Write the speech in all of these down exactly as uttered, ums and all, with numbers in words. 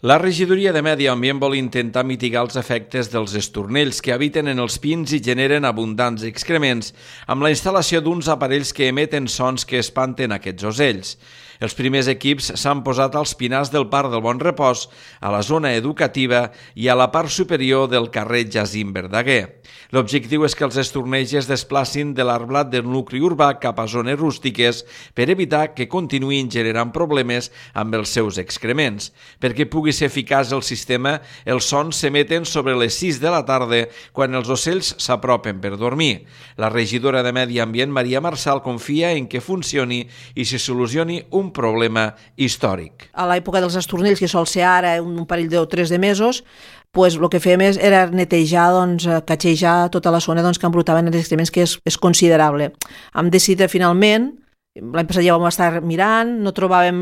La regidoria de Medi Ambient vol intentar mitigar els efectes dels estornells que habiten en els pins i generen abundants excrements amb la instal·lació d'uns aparells que emeten sons que espanten aquests ocells. Els primers equips s'han posat als pinars del Parc del Bon Repòs, a la zona educativa i a la part superior del carrer Jacint Verdaguer. L'objectiu és que els estornells es desplacin de l'arblat del nucli urbà cap a zones rústiques per evitar que continuïn generant problemes amb els seus excrements. Perquè pugui ser eficaç el sistema, els sons s'emeten sobre les sis de la tarda quan els ocells s'apropen per dormir. La regidora de Medi Ambient, Maria Marçal, confia en que funcioni i se solucioni un problema històric. A l'època dels estornells, que sol ser ara un parell de o tres de mesos, pues, el que fèiem era netejar, doncs, catxejar tota la zona doncs, que embrutaven els excrements, que és, és considerable. Hem decidit finalment, l'any passat ja vam estar mirant, no trobàvem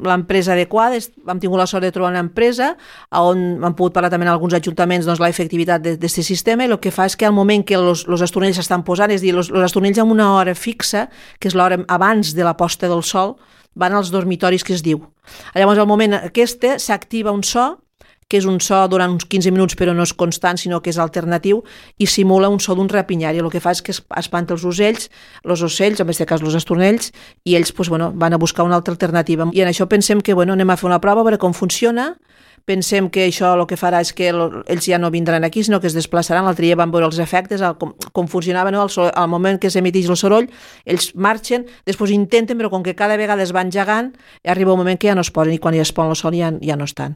l'empresa adequada, hem tingut la sort de trobar una empresa on hem pogut parlar també en alguns ajuntaments doncs, l'efectivitat d'aquest sistema, i el que fa és que al moment que els estornells s'estan posant, és a dir, els estornells amb una hora fixa, que és l'hora abans de la posta del sol, van als dormitoris, que es diu. Llavors, al moment aquest s'activa un so, que és un so durant uns quinze minuts, però no és constant, sinó que és alternatiu, i simula un so d'un rapinyari. El que fa és que espanta els ocells, els ocells, en aquest cas els estornells, i ells pues, bueno, van a buscar una altra alternativa. I en això pensem que bueno, anem a fer una prova, a veure com funciona. Pensem que això el que farà és que ells ja no vindran aquí, sinó que es desplaçaran. L'altre dia van veure els efectes, com, com funcionava, no? al, al moment que s'emiteix el soroll, ells marxen, després intenten, però com que cada vegada es van gegant, arriba un moment que ja no es posen, i quan ja es posen el sol ja, ja no estan.